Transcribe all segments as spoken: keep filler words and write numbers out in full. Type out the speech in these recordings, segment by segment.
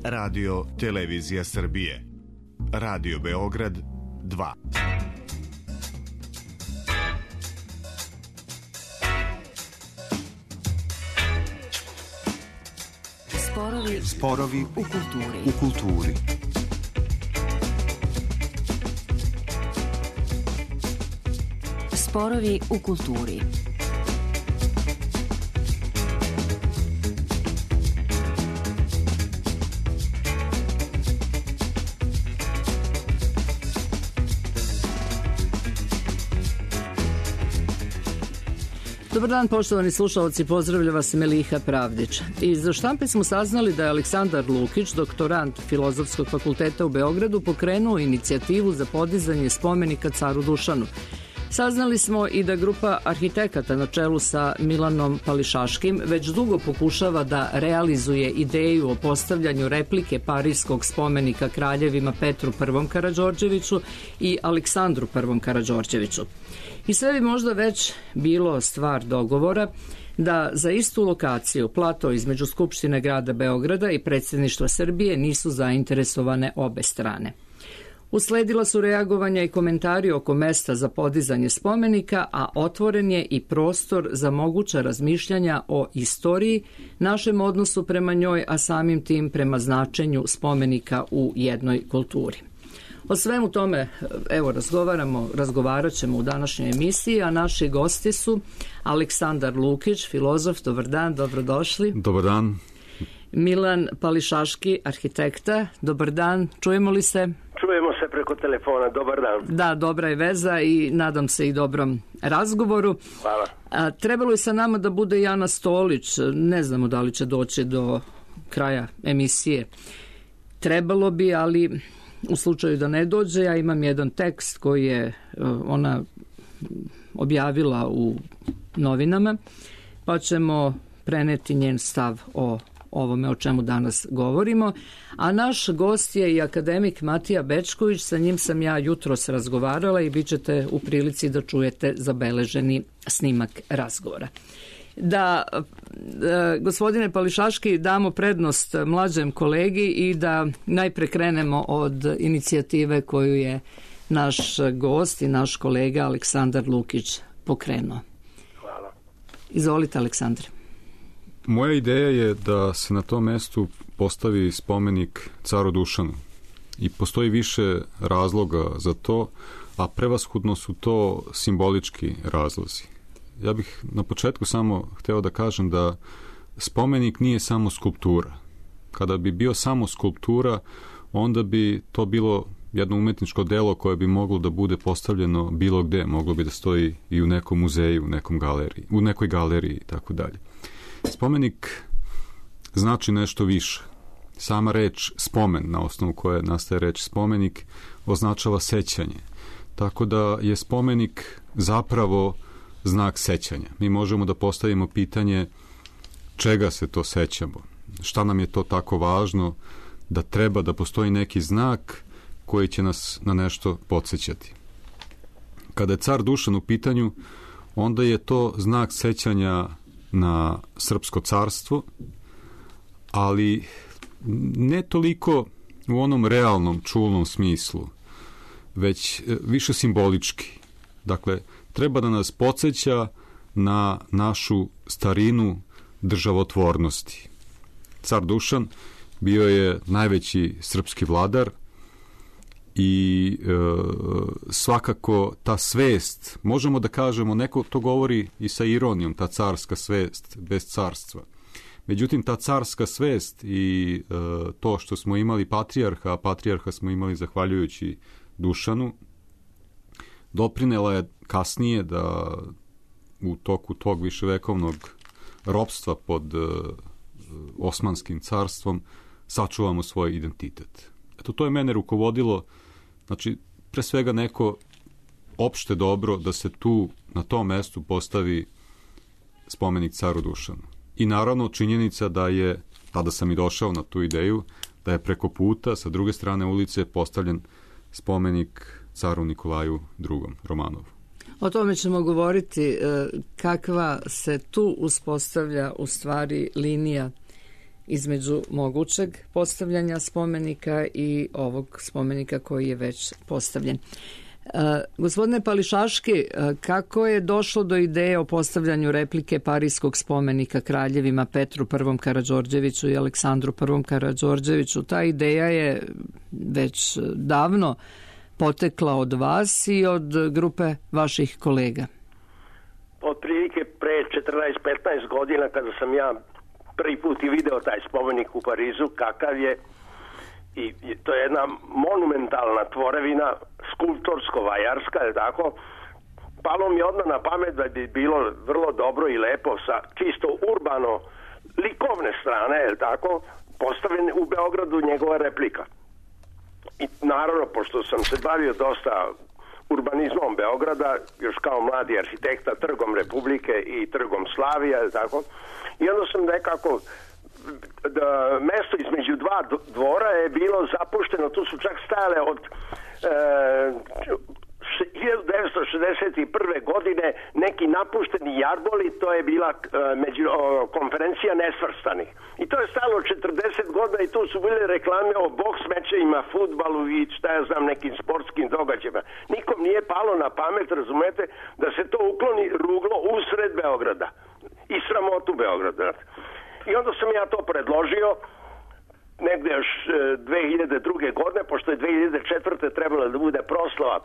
Radio Televizija Srbije. Radio Beograd dva. Sporovi, Sporovi u kulturi. U kulturi. Sporovi u kulturi. Dobar dan, poštovani slušalci, pozdravlja vas Meliha Pravdić. Iz štampe smo saznali da je Aleksandar Lukić, doktorant Filozofskog fakulteta u Beogradu, pokrenuo inicijativu za podizanje spomenika caru Dušanu. Saznali smo i da grupa arhitekata na čelu sa Milanom Pališaškim već dugo pokušava da realizuje ideju o postavljanju replike parijskog spomenika kraljevima Petru Prvom Karađorđeviću i Aleksandru Prvom Karađorđeviću. I sve bi možda već bilo stvar dogovora da za istu lokaciju, plato između Skupštine grada Beograda i predsjedništva Srbije, nisu zainteresovane obe strane. Usledila su reagovanja i komentari oko mesta za podizanje spomenika, a otvoren je i prostor za moguća razmišljanja o istoriji, našem odnosu prema njoj, a samim tim prema značenju spomenika u jednoj kulturi. O svemu tome, evo, razgovaramo, razgovarat ćemo u današnjoj emisiji, a naši gosti su Aleksandar Lukić, filozof, dobar dan, dobrodošli. Dobar dan. Milan Pališaški, arhitekta, dobar dan, čujemo li se? Čujemo se preko telefona, dobar dan. Da, dobra je veza i nadam se i dobrom razgovoru. Hvala. A, trebalo je sa nama da bude Jana Stolić, ne znamo da li će doći do kraja emisije. Trebalo bi, ali u slučaju da ne dođe, ja imam jedan tekst koji je ona objavila u novinama, pa ćemo preneti njen stav o ovome o čemu danas govorimo. A naš gost je i akademik Matija Bečković, sa njim sam ja jutros razgovarala i bit ćete u prilici da čujete zabeleženi snimak razgovora. Da, e, gospodine Pališaški, damo prednost mlađem kolegi i da najpre krenemo od inicijative koju je naš gost i naš kolega Aleksandar Lukić pokrenuo. Hvala. Izvolite, Aleksandre. Moja ideja je da se na tom mestu postavi spomenik caru Dušanu i postoji više razloga za to, a prevashodno su to simbolički razlozi. Ja bih na početku samo hteo da kažem da spomenik nije samo skulptura. Kada bi bio samo skulptura, onda bi to bilo jedno umetničko delo koje bi moglo da bude postavljeno bilo gde, moglo bi da stoji i u nekom muzeju, u nekom galeriji, u nekoj galeriji i tako dalje. Spomenik znači nešto više. Sama reč spomen, na osnovu koje nastaje reč spomenik, označava sećanje. Tako da je spomenik zapravo znak sećanja. Mi možemo da postavimo pitanje čega se to sećamo, šta nam je to tako važno da treba da postoji neki znak koji će nas na nešto podsjećati. Kada je car Dušan u pitanju, onda je to znak sećanja na srpsko carstvo, ali ne toliko u onom realnom, čulnom smislu, već više simbolički. Dakle, treba da nas podsjeća na našu starinu državotvornosti. Car Dušan bio je najveći srpski vladar i e, svakako ta svest, možemo da kažemo, neko to govori i sa ironijom, ta carska svest bez carstva. Međutim, ta carska svest i e, to što smo imali patrijarha, a patrijarha smo imali zahvaljujući Dušanu, doprinela je kasnije da u toku tog viševekovnog ropstva pod uh, Osmanskim carstvom sačuvamo svoj identitet. Eto, to je mene rukovodilo, znači, pre svega neko opšte dobro da se tu, na tom mestu, postavi spomenik caru Dušanu. I naravno činjenica da je, tada sam i došao na tu ideju, da je preko puta, sa druge strane ulice, postavljen spomenik caru Nikolaju drugom Romanovu. O tome ćemo govoriti, kakva se tu uspostavlja u stvari linija između mogućeg postavljanja spomenika i ovog spomenika koji je već postavljen. Uh, gospodine Pališaški, uh, kako je došlo do ideje o postavljanju replike Pariskog spomenika kraljevima Petru I. Karađorđeviću i Aleksandru I. Karađorđeviću? Ta ideja je već davno potekla od vas i od grupe vaših kolega. Otprilike pre četrnaest petnaest godina kada sam ja prvi put i video taj spomenik u Parizu, kakav je, i to je jedna monumentalna tvorevina, skulptorsko-vajarska, je tako, palo mi odmah na pamet da bi bilo vrlo dobro i lepo sa čisto urbano likovne strane, je tako, postavljen u Beogradu njegova replika. I naravno, pošto sam se bavio dosta urbanizmom Beograda, još kao mladi arhitekta, Trgom Republike i Trgom Slavija, je tako, i onda sam nekako, da mesto između dva dvora je bilo zapušteno, tu su čak stajale od e, hiljadu devetsto šezdeset prve. godine neki napušteni jarboli, to je bila e, među, o, konferencija nesvrstanih. I to je stajalo četrdeset godina i tu su bile reklame o boks mečevima, fudbalu i šta ja znam, nekim sportskim događajima. Nikom nije palo na pamet, razumete, da se to ukloni ruglo usred Beograda i sramotu Beograda. I onda sam ja to predložio negde još dve hiljade druge. godine, pošto je dve hiljade četvrte. trebala da bude proslava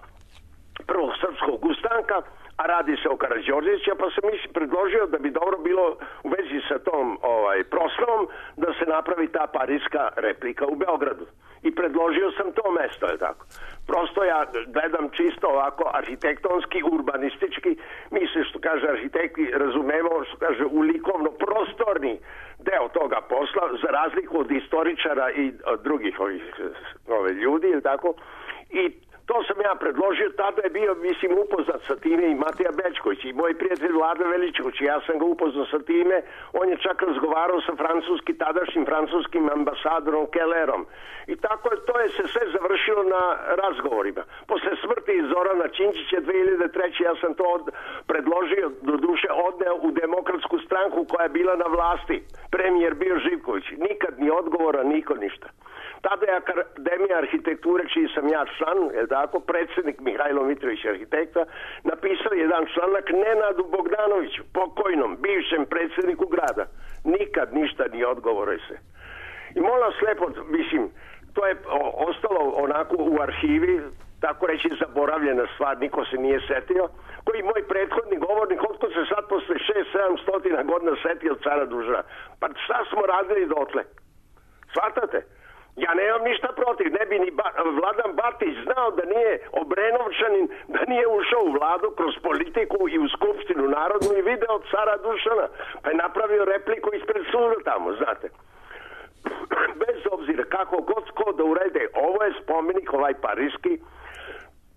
prvog srpskog ustanka, a radi se o Karađorđeviću, pa sam mislim predložio da bi dobro bilo u vezi sa tom ovaj, proslavom da se napravi ta pariska replika u Beogradu. I predložio sam to mesto, je tako. Prosto ja gledam čisto ovako arhitektonski, urbanistički, mi se, što kaže arhitekti, razumemo, što kaže, u likovno prostorni deo toga posla, za razliku od istoričara i od drugih ovih ove ljudi, je tako. I to sam ja predložio, tada je bio, mislim, upoznat sa time i Matija Bečković i moj prijatelj Vlada Veličković. Ja sam ga upoznao sa time, on je čak razgovarao sa francuski, tadašnjim francuskim ambasadorom Kellerom. I tako je, to je se sve završilo na razgovorima. Posle smrti Zorana Činčića dve hiljade treće. ja sam to od, predložio, do duše odneo u Demokratsku stranku koja je bila na vlasti. Premijer bio Živković. Nikad ni odgovora, niko ništa. Tada je Akademija arhitekture, čiji sam ja član, je tako, predsjednik Mihajlo Mitrović arhitekta, napisao jedan članak Nenadu Bogdanoviću, pokojnom, bivšem predsjedniku grada. Nikad ništa ni odgovore se. I molim vas lepo, mislim, to je ostalo onako u arhivi, tako reći zaboravljena stvar, niko se nije setio, koji moj prethodni govornik, otko se sad posle šest sedam stotina godina setio cara Dušana. Pa šta smo radili dotle? Shvatate? Ja nemam ništa protiv, ne bi ni ba, Vladan Batić znao da nije Obrenovčanin, da nije ušao u vladu kroz politiku i u skupštinu narodnu i video cara Dušana, pa je napravio repliku ispred suda tamo, znate. Bez obzira kako god ko da urede, ovo je spomenik, ovaj pariski,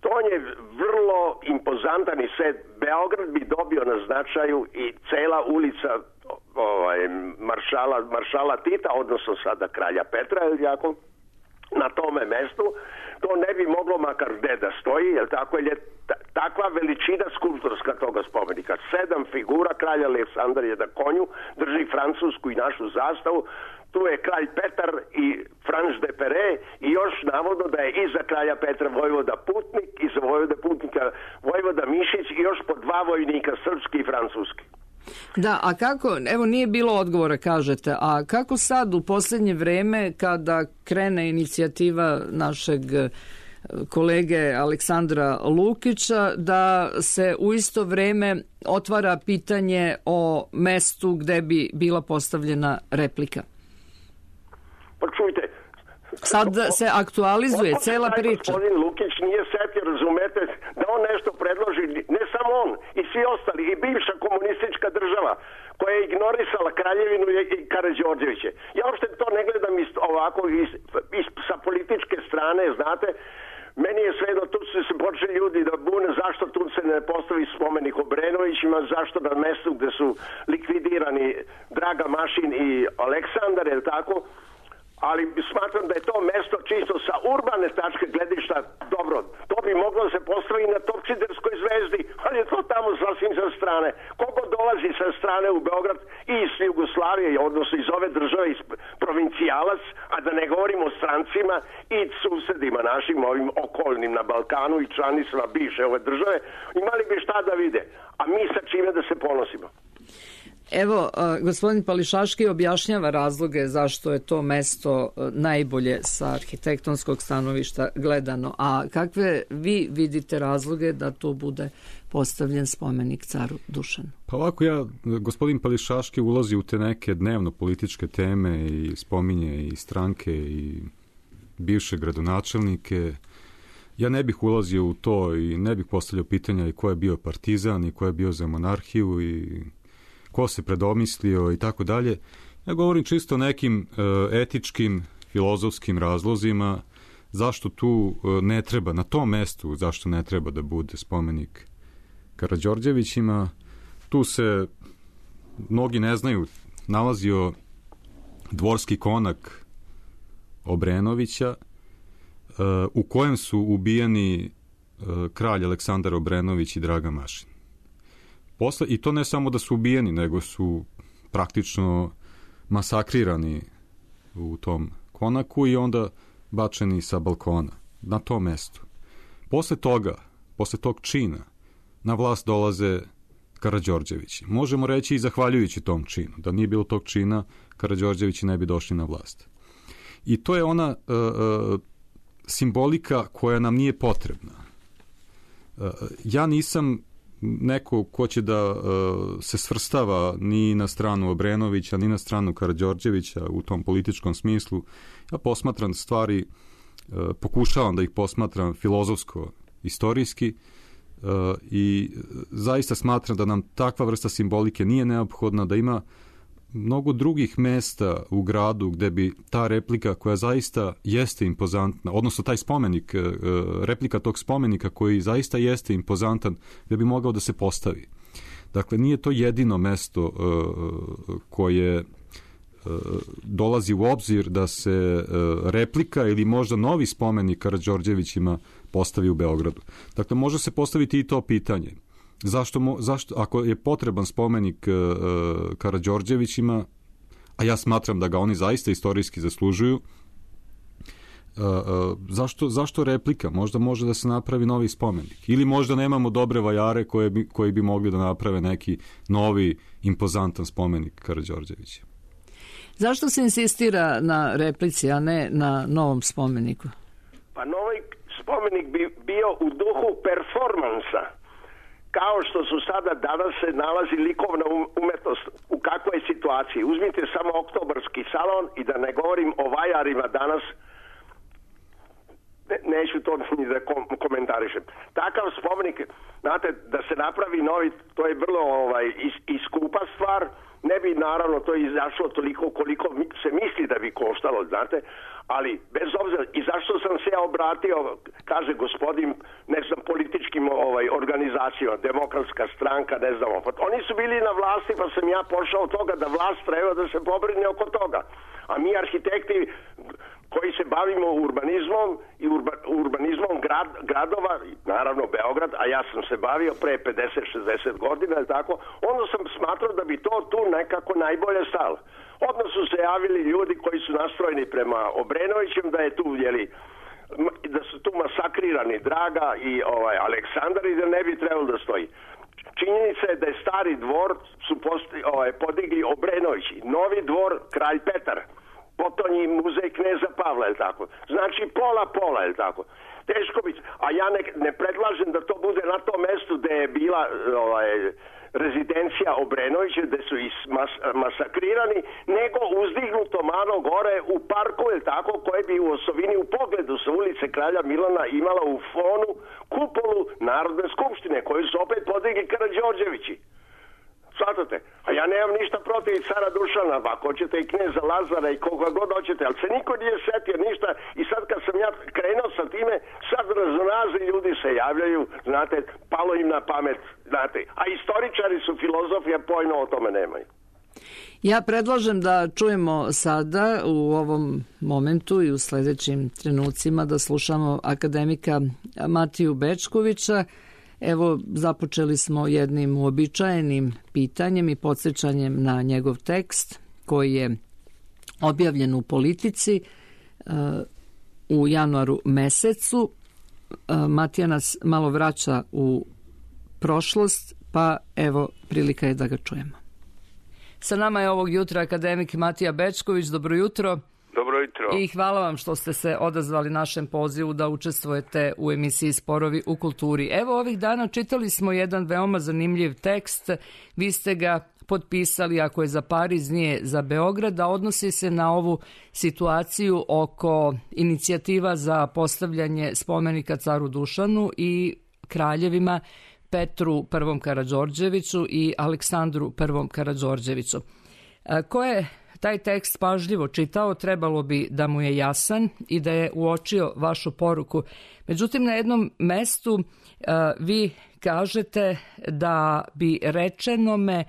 to je vrlo impozantan i sve. Beograd bi dobio na značaju i cela ulica ovaj, maršala, maršala Tita, odnosno sada kralja Petra, je jako, na tome mestu. To ne bi moglo makar gde da stoji, jer tako je takva veličina skulptorska toga spomenika. Sedam figura, kralj Aleksandar je na konju, drži francusku i našu zastavu. Tu je kralj Petar i Franš de Pere i još navodno da je iza kralja Petra vojvoda Putnik, iza vojvoda Putnika vojvoda Mišić i još po dva vojnika, srpski i francuski. Da, a kako, evo nije bilo odgovora, kažete, a kako sad u posljednje vreme kada krene inicijativa našeg kolege Aleksandra Lukića da se u isto vreme otvara pitanje o mestu gde bi bila postavljena replika? Pa čujte, sad se aktualizuje cela priča. Gospodin Lukić nije setio, razumete, da on nešto predloži, ne samo on, i svi ostali, i bivša komunistička država koja je ignorisala Kraljevinu i Karađorđeviće. Ja uopšte to ne gledam iz, ovako iz, iz, sa političke strane, znate. Meni je svejedno, tu su se počeli ljudi da bune zašto tu se ne postavi spomenik Obrenovićima, zašto na mestu gde su likvidirani Draga Mašin i Aleksandar, je tako? ali smatram da je to mesto čisto sa urbane tačke gledišta dobro. To bi moglo se postaviti na Topčiderskoj zvezdi, ali je to tamo sasvim sa strane. Kogo dolazi sa strane u Beograd i iz Jugoslavije, odnosno iz ove države, iz provincijalac, a da ne govorimo o strancima i susedima našim, ovim okolnim na Balkanu i članicama bivše ove države, imali bi šta da vide. A mi sa čime da se ponosimo? Evo, gospodin Pališaški objašnjava razloge zašto je to mesto najbolje sa arhitektonskog stanovišta gledano. A kakve vi vidite razloge da to bude postavljen spomenik caru Dušanu? Pa ovako, ja, gospodin Pališaški ulazi u te neke dnevno političke teme i spominje i stranke i bivše gradonačelnike. Ja ne bih ulazio u to i ne bih postavljao pitanja i ko je bio partizan i ko je bio za monarhiju i ko se predomislio i tako dalje. Ja govorim čisto o nekim e, etičkim, filozofskim razlozima zašto tu e, ne treba, na tom mestu zašto ne treba da bude spomenik Karađorđevićima. Tu se, mnogi ne znaju, nalazio dvorski konak Obrenovića e, u kojem su ubijeni e, kralj Aleksandar Obrenović i Draga Mašin. Posle, i to ne samo da su ubijeni, nego su praktično masakrirani u tom konaku i onda bačeni sa balkona na tom mestu. Posle toga, posle tog čina, na vlast dolaze Karađorđevići. Možemo reći i zahvaljujući tom činu. Da nije bilo tog čina, Karađorđevići ne bi došli na vlast. I to je ona uh, uh, simbolika koja nam nije potrebna. Uh, ja nisam neko ko će da uh, se svrstava ni na stranu Obrenovića, ni na stranu Karađorđevića u tom političkom smislu. Ja posmatram stvari, uh, pokušavam da ih posmatram filozofsko, istorijski uh, i zaista smatram da nam takva vrsta simbolike nije neophodna, da ima mnogo drugih mesta u gradu gde bi ta replika koja zaista jeste impozantna, odnosno taj spomenik, replika tog spomenika koji zaista jeste impozantan, gde bi mogao da se postavi. Dakle, nije to jedino mesto koje dolazi u obzir da se replika ili možda novi spomenik Karađorđevićima postavi u Beogradu. Dakle, može se postaviti i to pitanje. Zašto, mo, zašto, ako je potreban spomenik e, Karađorđevićima, a ja smatram da ga oni zaista istorijski zaslužuju, e, e, zašto, zašto replika? Možda može da se napravi novi spomenik. Ili možda nemamo dobre vajare koje bi, koji bi mogli da naprave neki novi, impozantan spomenik Karađorđevića. Zašto se insistira na replici, a ne na novom spomeniku? Pa novi spomenik bi bio u duhu performansa. Kao što su sada danas se nalazi likovna umetnost u kakvoj situaciji. Uzmite samo Oktobarski salon i da ne govorim o vajarima danas, ne, neću to ni da kom, komentarišem. Takav spomenik, znate, da se napravi novi, to je vrlo ovaj, is, iskupa stvar, ne bi naravno to izašlo toliko koliko se misli da bi koštalo, znate, ali bez obzira, i zašto sam se ja obratio, kaže gospodin, ne znam, političkim ovaj, organizacijama, Demokratska stranka, ne znam, oni su bili na vlasti, pa sam ja pošao od toga da vlast treba da se pobrine oko toga. A mi arhitekti koji se bavimo urbanizmom i urba, urbanizmom grad, gradova, naravno Beograd, a ja sam se bavio pre pedeset šezdeset godina, ili tako, onda sam smatrao da bi to tu nekako najbolje stalo. Odmah su se javili ljudi koji su nastrojeni prema Obrenovićem, da je tu, jeli, da su tu masakrirani Draga i ovaj Aleksandar i da ne bi trebalo da stoji. Činjenica je da je stari dvor su posti, ovaj, podigli Obrenovići, novi dvor Kralj Petar, potonji muzej Kneza Pavla, je tako. Znači pola pola, je tako. Teško biti, a ja ne, ne predlažem da to bude na tom mestu gde je bila ovaj, rezidencija Obrenovića, gde su is mas, masakrirani, nego uzdignuto malo gore u parku, je tako, koje bi u osovini u pogledu sa ulice Kralja Milana imala u fonu kupolu Narodne skupštine, koju su opet podigli Karađorđevići. Svatate? A ja nemam ništa protiv cara Dušana, pa ako hoćete i kneza Lazara i koga god hoćete, ali se niko nije setio ništa i sad kad sam ja krenuo sa time, sad razonazni ljudi se javljaju, znate, palo im na pamet, znate, a istoričari su, filozofi, a pojma o tome nemaju. Ja predlažem da čujemo sada u ovom momentu i u sledećim trenucima da slušamo akademika Matiju Bečkovića. Evo, započeli smo jednim uobičajenim pitanjem i podsjećanjem na njegov tekst koji je objavljen u Politici u januaru mesecu. Matija nas malo vraća u prošlost, pa evo prilika je da ga čujemo. Sa nama je ovog jutra akademik Matija Bečković. Dobro jutro. Dobro jutro. I hvala vam što ste se odazvali našem pozivu da učestvujete u emisiji Sporovi u kulturi. Evo, ovih dana čitali smo jedan veoma zanimljiv tekst. Vi ste ga potpisali, ako je za Pariz, nije za Beograd, a odnosi se na ovu situaciju oko inicijativa za postavljanje spomenika caru Dušanu i kraljevima Petru Prvom Karađorđeviću i Aleksandru Prvom Karađorđeviću. Ko je taj tekst pažljivo čitao, trebalo bi da mu je jasan i da je uočio vašu poruku. Međutim, na jednom mestu vi kažete da bi rečenome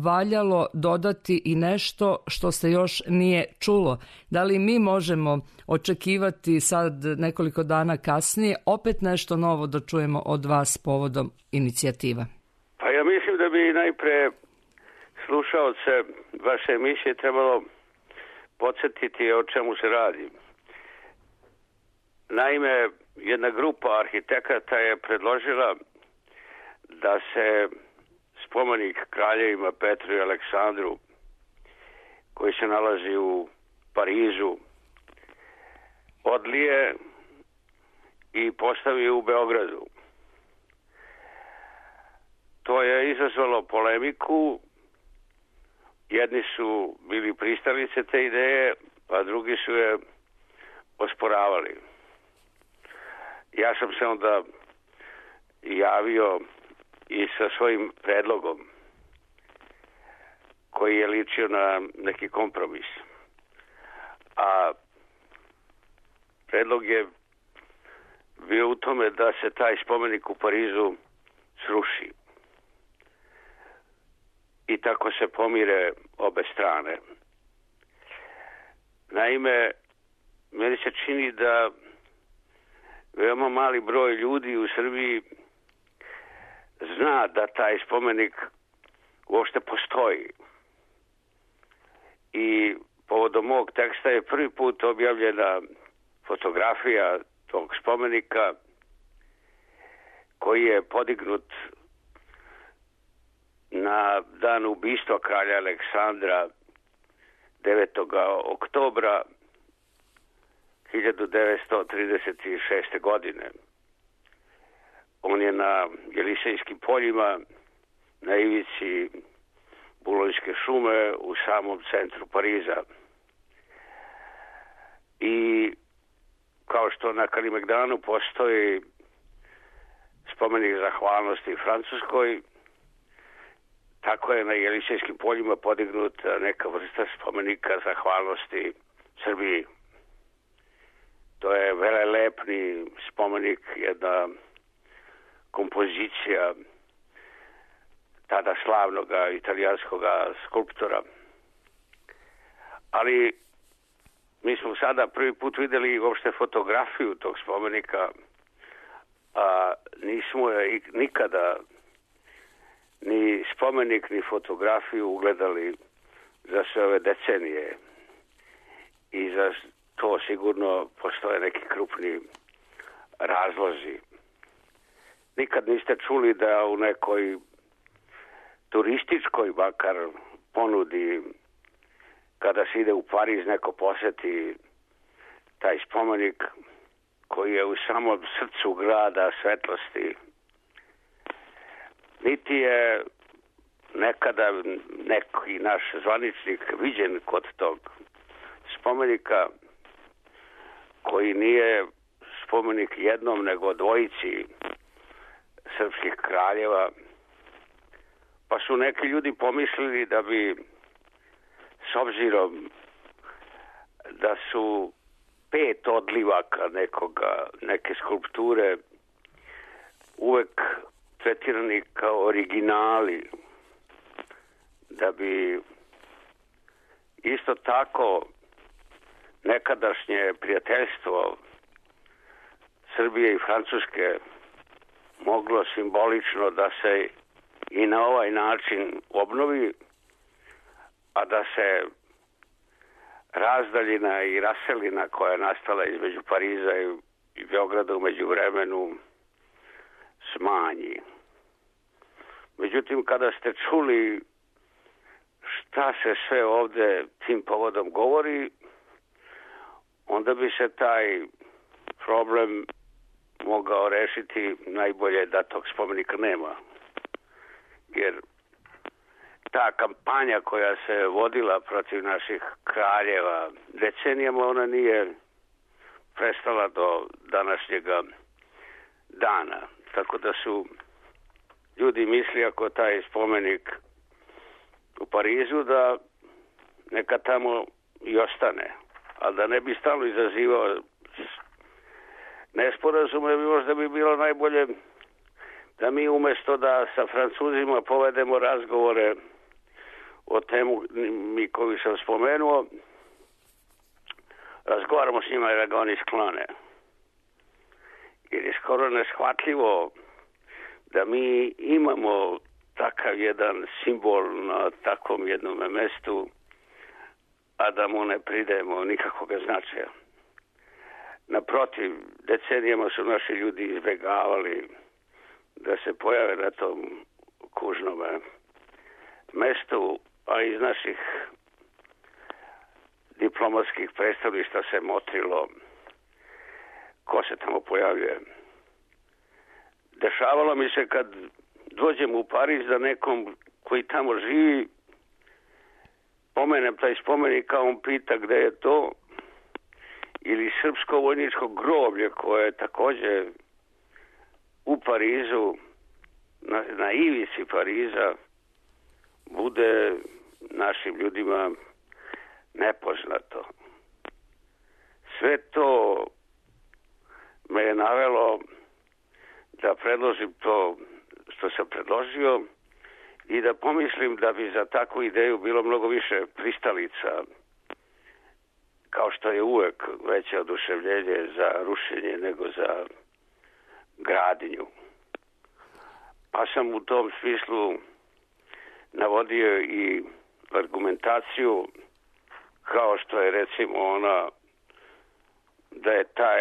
valjalo dodati i nešto što se još nije čulo. Da li mi možemo očekivati sad nekoliko dana kasnije opet nešto novo da čujemo od vas povodom inicijativa? Pa ja mislim da bi najpre slušaoce vaše emisije trebalo podsjetiti o čemu se radi. Naime, jedna grupa arhitekata je predložila da se spomenik kraljevima Petru i Aleksandru, koji se nalazi u Parizu, odlije i postavi u Beogradu. To je izazvalo polemiku. Jedni su bili pristalice te ideje, a drugi su je osporavali. Ja sam se onda javio i sa svojim predlogom koji je ličio na neki kompromis. A predlog je bio u tome da se taj spomenik u Parizu sruši. I tako se pomire obe strane. Naime, meni se čini da veoma mali broj ljudi u Srbiji zna da taj spomenik uopšte postoji. I povodom mog teksta je prvi put objavljena fotografija tog spomenika koji je podignut na dan ubistva kralja Aleksandra devetog oktobra hiljadu devetsto trideset šeste. godine. On je na Jelisejskim poljima, na ivici Bulonjske šume, u samom centru Pariza. I kao što na Kalimegdanu postoji spomenik zahvalnosti Francuskoj, tako je na Jelisejskim poljima podignut neka vrsta spomenika zahvalnosti Srbiji. To je velelepni spomenik, jedna kompozicija tada slavnog italijanskog skulptora. Ali mi smo sada prvi put videli uopšte fotografiju tog spomenika, a nismo je nikada ni spomenik, ni fotografiju ugledali za sve ove decenije. I za to sigurno postoje neki krupni razlozi. Nikad niste čuli da u nekoj turističkoj bakar ponudi, kada se ide u Pariz, neko poseti taj spomenik koji je u samom srcu grada svetlosti. Niti je nekada neki naš zvaničnik viđen kod tog spomenika, koji nije spomenik jednom nego dvojici srpskih kraljeva. Pa su neki ljudi pomislili da bi, s obzirom da su pet odlivaka nekoga, neke skulpture uvek tretirani kao originali, da bi isto tako nekadašnje prijateljstvo Srbije i Francuske moglo simbolično da se i na ovaj način obnovi, a da se razdaljina i raselina koja je nastala između Pariza i Beograda umeđu vremenu smanji. Međutim, kada ste čuli šta se sve ovde tim povodom govori, onda bi se taj problem mogao rešiti najbolje da tog spomenika nema. Jer ta kampanja koja se vodila protiv naših kraljeva decenijama, ona nije prestala do današnjega dana. Tako da su ljudi misli ako taj spomenik u Parizu da neka tamo i ostane. Ali da ne bi stalno izazivao nesporazume, možda bi bilo najbolje da mi umjesto da sa Francuzima povedemo razgovore o temu mi koju sam spomenuo, razgovaramo s njima i da ga oni sklone. Jer je skoro neshvatljivo da mi imamo takav jedan simbol na takvom jednom mestu, a da mu ne pridajemo nikakvog značaja. Naprotiv, decenijama su naši ljudi izbjegavali da se pojave na tom kužnom mestu, a iz naših diplomatskih predstavništva se motrilo ko se tamo pojavljuje. Dešavalo mi se kad dođem u Pariz da nekom koji tamo živi pomenem taj spomenik, a on pita gde je to, ili srpsko vojničko groblje koje je također u Parizu, na, na ivici Pariza, bude našim ljudima nepoznato. Sve to me je navelo da predložim to što sam predložio i da pomislim da bi za takvu ideju bilo mnogo više pristalica, kao što je uvek veće oduševljenje za rušenje nego za gradnju. Pa sam u tom smislu navodio i argumentaciju kao što je recimo ona da je taj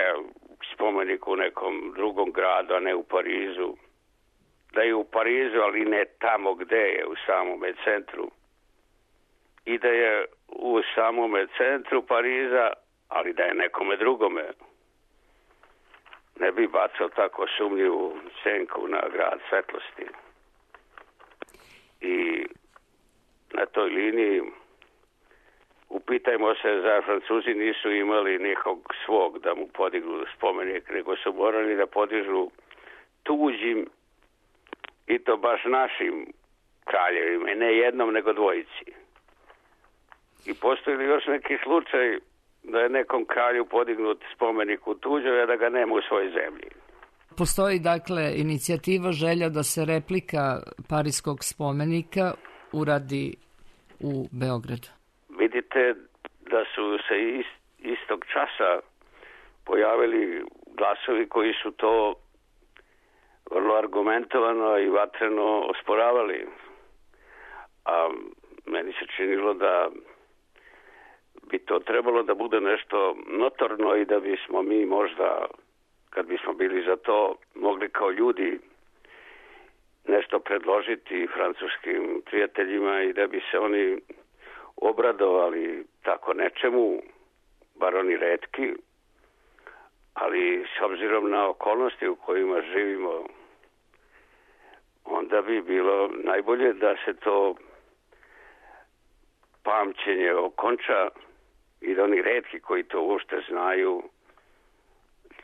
spomenik u nekom drugom gradu, a ne u Parizu. Da je u Parizu, ali ne tamo gde je, u samome centru. I da je u samome centru Pariza, ali da je nekome drugome. Ne bi bacao tako sumnjivu senku na grad svetlosti. I na toj liniji upitajmo se, za Francuzi nisu imali nikog svog da mu podignu spomenik, nego su morali da podižu tuđim, i to baš našim kraljevima, ne jednom nego dvojici. I postoji li još neki slučaj da je nekom kralju podignut spomenik u tuđoj, a da ga nema u svojoj zemlji? Postoji dakle inicijativa, želja da se replika parijskog spomenika uradi u Beogradu. Vidite da su se ist, istog časa pojavili glasovi koji su to vrlo argumentovano i vatreno osporavali. A meni se činilo da bi to trebalo da bude nešto notorno i da bismo mi možda, kad bismo bili za to, mogli kao ljudi nešto predložiti francuskim prijateljima i da bi se oni obradovali tako nečemu, bar oni retki, ali s obzirom na okolnosti u kojima živimo, onda bi bilo najbolje da se to pamćenje okonča i da oni retki koji to uopšte znaju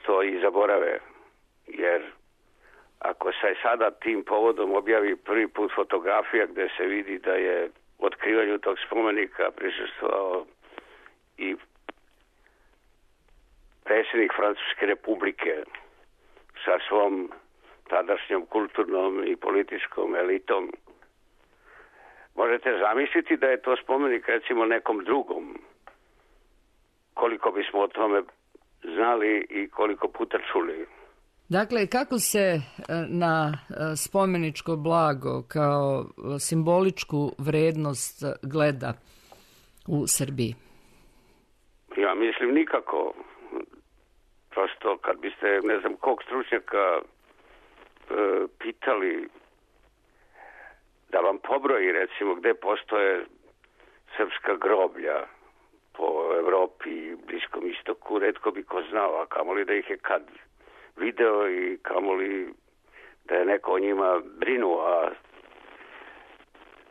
to i zaborave. Jer ako se sada tim povodom objavi prvi put fotografija gde se vidi da je otkrivanju tog spomenika prisustvovao i predsjednik Francuske republike sa svom tadašnjom kulturnom i političkom elitom, možete zamisliti da je to spomenik recimo nekom drugom. Koliko bismo o tome znali i koliko puta čuli. Dakle, kako se na spomeničko blago kao simboličku vrednost gleda u Srbiji? Ja mislim nikako. Prosto kad biste, ne znam, kog stručnjaka e, pitali da vam pobroji recimo gde postoje srpska groblja po Evropi i Bliskom istoku, retko bi ko znao, a kamoli da ih je kad video i kamoli da je neko o njima brinuo, a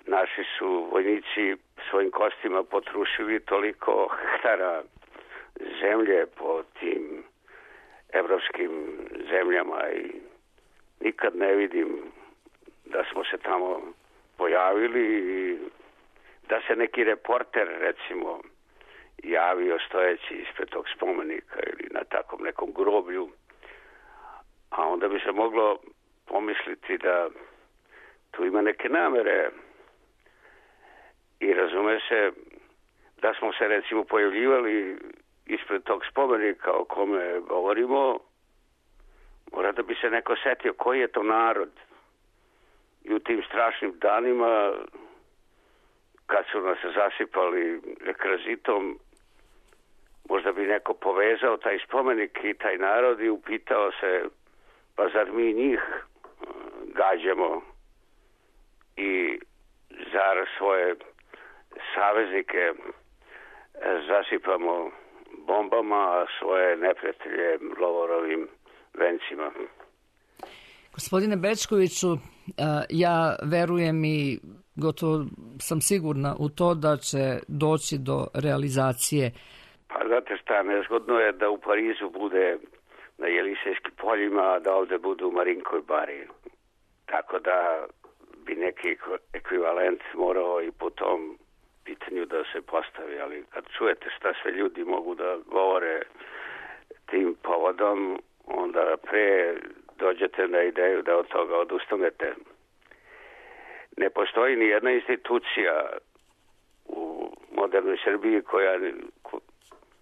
naši su vojnici svojim kostima potrušili toliko hektara zemlje po tim evropskim zemljama i nikad ne vidim da smo se tamo pojavili i da se neki reporter recimo javio stojeći ispred tog spomenika ili na takvom nekom groblju, a onda bi se moglo pomisliti da tu ima neke namere i razume se da smo se recimo pojavljivali ispred tog spomenika o kome govorimo, mora da bi se neko setio koji je to narod i u tim strašnim danima kad su nas zasipali rekrazitom, možda bi neko povezao taj spomenik i taj narod i upitao se, pa zar mi njih gađamo i zar svoje saveznike zasipamo bombama, a svoje neprijatelje lovorovim vencima. Gospodine Bečkoviću, ja verujem i gotovo sam sigurna u to da će doći do realizacije. Pa znate šta, nezgodno je da u Parizu bude na Jelisejskim poljima, a da ovde bude u Marinkoj bari. Tako da bi neki ekvivalent morao i po tom pitanju da se postavi, ali kad čujete šta sve ljudi mogu da govore tim povodom, onda pre dođete na ideju da od toga odustanete. Ne postoji ni jedna institucija u modernoj Srbiji koja,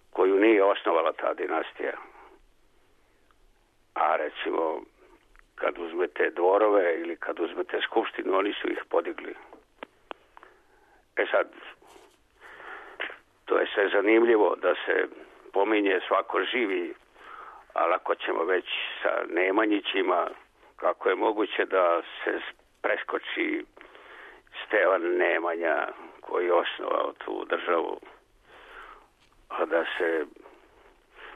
koju nije osnovala ta dinastija. A recimo, kad uzmete dvorove ili kad uzmete skupštinu, oni su ih podigli. E sad, to je sve zanimljivo da se pominje svako živi, ali ako ćemo već sa Nemanjićima, kako je moguće da se preskoči Stevan Nemanja koji je osnovao tu državu, a da se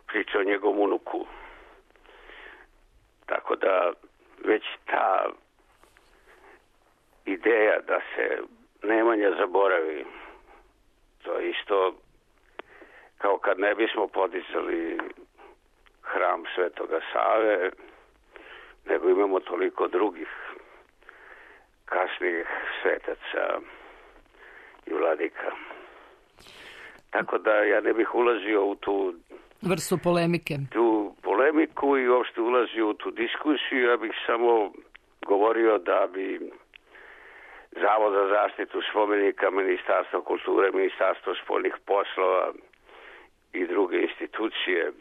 priča o njegovom unuku. Tako da već ta ideja da se Nemanja zaboravi, to je isto kao kad ne bismo podizali hram Svetoga Save, nego imamo toliko drugih kasnijih svetaca i vladika. Tako da ja ne bih ulazio u tu vrstu polemike. Tu polemiku i uopšte ulazio u tu diskusiju, ja bih samo govorio da bi Zavod za zaštitu spomenika, Ministarstvo kulture, Ministarstvo spoljnih poslova i druge institucije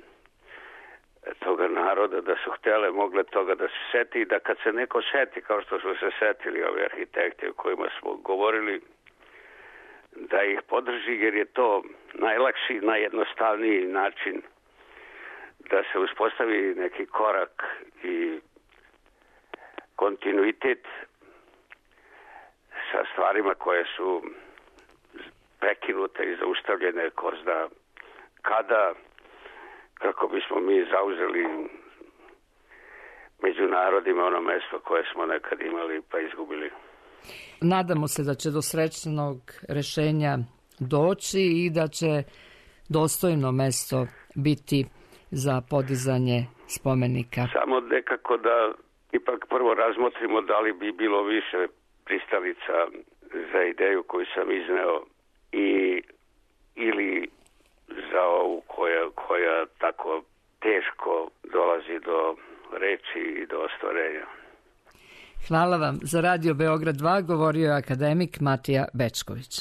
toga naroda da su htjele, mogle toga da se seti i da kad se neko seti, kao što su se setili ovi arhitekti o kojima smo govorili, da ih podrži, jer je to najlakši, najjednostavniji način da se uspostavi neki korak i kontinuitet sa stvarima koje su prekinute i zaustavljene ko zna kada, kako bismo mi zauzeli među narodima ono mesto koje smo nekad imali pa izgubili. Nadamo se da će do srećnog rešenja doći i da će dostojno mesto biti za podizanje spomenika. Samo nekako da ipak prvo razmotrimo da li bi bilo više pristalica za ideju koju sam izneo i ili za ovu koja, koja tako teško dolazi do reči i do ostvarenja. Hvala vam. Za Radio Beograd dva govorio je akademik Matija Bećković.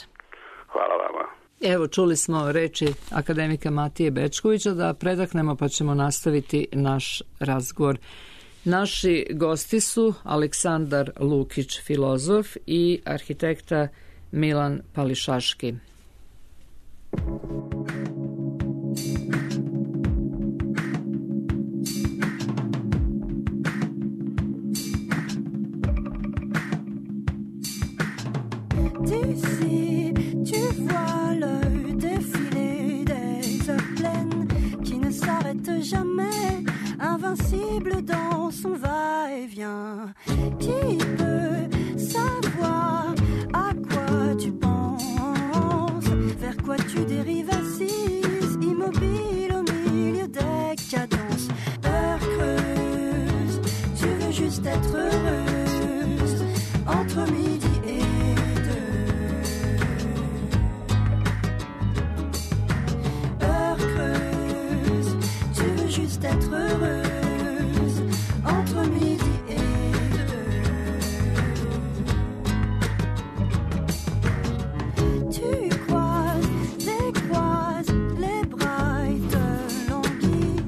Hvala vama. Evo, čuli smo reči akademika Matije Bećkovića, da predahnemo pa ćemo nastaviti naš razgovor. Naši gosti su Aleksandar Lukić, filozof, i arhitekta Milan Pališaški. D'ici, tu vois le défilé des heures pleines qui ne s'arrête jamais, invincible dans son va-et-vient. Qui peut savoir à quoi tu penses, vers quoi tu dérives assise, immobile au milieu des cadences. Heure creuse, tu veux juste être heureuse, entre midi et d'être heureuse entre midi et deux. Tu croises, décroises les bras et te languis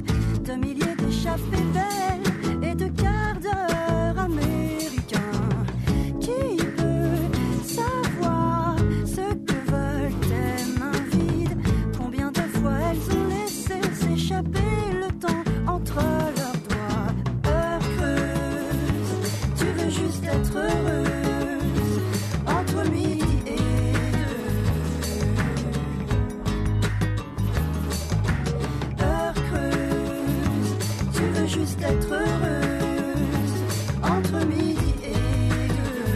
de milliers d'échappées belles et de quarts d'heure américains. Qui peut savoir ce que veulent tes mains vides, combien de fois elles ont laissé s'échapper entre leurs doigts. Heure creuse, tu veux juste être heureuse entre midi et deux. Heure creuse, tu veux juste être heureuse entre midi et deux.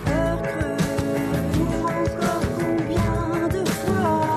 Heure creuse, pour encore combien de fois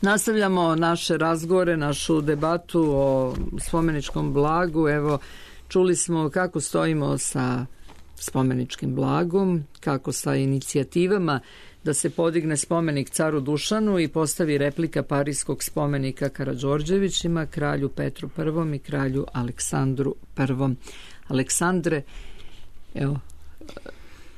Nastavljamo naše razgovore, našu debatu o spomeničkom blagu. Evo, čuli smo kako stojimo sa spomeničkim blagom, kako sa inicijativama da se podigne spomenik caru Dušanu i postavi replika parijskog spomenika Karađorđevićima, kralju Petru Prvom i kralju Aleksandru Prvom. Aleksandre, evo,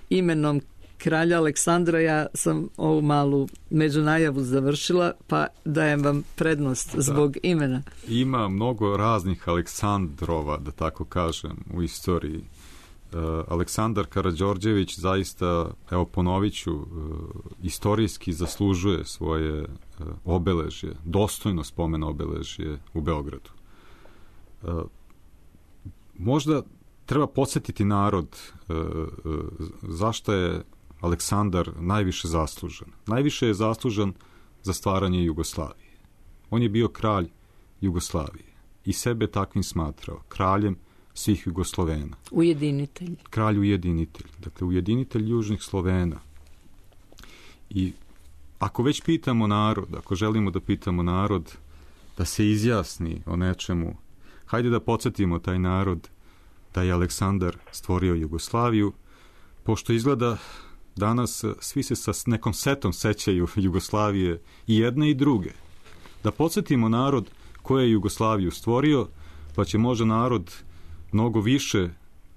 imenom kralja Aleksandra ja sam ovu malu međunajavu završila, pa dajem vam prednost zbog da. imena. Ima mnogo raznih Aleksandrova, da tako kažem, u istoriji. Uh, Aleksandar Karađorđević zaista, evo ponovit ću, uh, istorijski zaslužuje svoje uh, obeležje, dostojno spomen obeležje u Beogradu. Uh, možda treba podsjetiti narod uh, uh, zašto je Aleksandar najviše zaslužan. Najviše je zaslužan za stvaranje Jugoslavije. On je bio kralj Jugoslavije i sebe takvim smatrao, kraljem svih Jugoslovena. Ujedinitelj. Kralj ujedinitelj. Dakle, ujedinitelj južnih Slovena. I ako već pitamo narod, ako želimo da pitamo narod da se izjasni o nečemu, hajde da podsjetimo taj narod da je Aleksandar stvorio Jugoslaviju, pošto izgleda danas svi se sa nekom setom sećaju Jugoslavije i jedne i druge. Da podsjetimo narod ko je Jugoslaviju stvorio, pa će možda narod mnogo više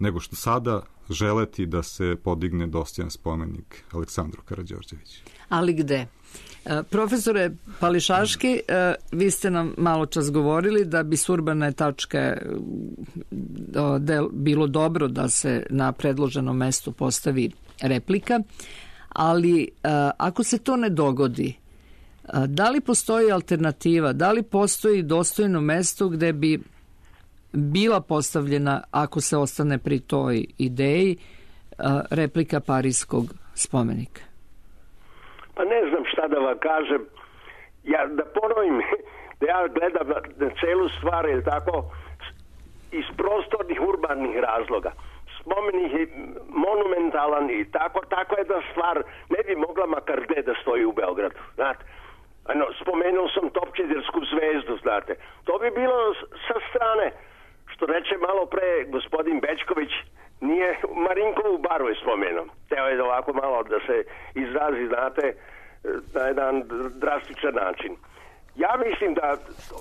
nego što sada želeti da se podigne dostojan spomenik Aleksandru Karađorđeviću. Ali gde? Profesore Pališaški, vi ste nam malo čas govorili da bi s urbane tačke bilo dobro da se na predloženom mestu postavi replika, ali ako se to ne dogodi, da li postoji alternativa, da li postoji dostojno mesto gde bi bila postavljena, ako se ostane pri toj ideji, replika Parijskog spomenika? Pa ne znam šta da vam kažem. Ja da ponovim, da ja gledam na, na celu stvar, je tako, iz prostornih urbanih razloga. Spomenik je monumentalan i tako, tako jedna stvar ne bi mogla makar gde da stoji u Beogradu, znate. Ano, spomenuo sam Topčidersku zvezdu, znate. To bi bilo sa strane, što reče malo pre gospodin Bečković, nije Marinkovu baru je spomenuo. Teo je ovako malo da se izrazi, znate, na jedan drastičan način. Ja mislim da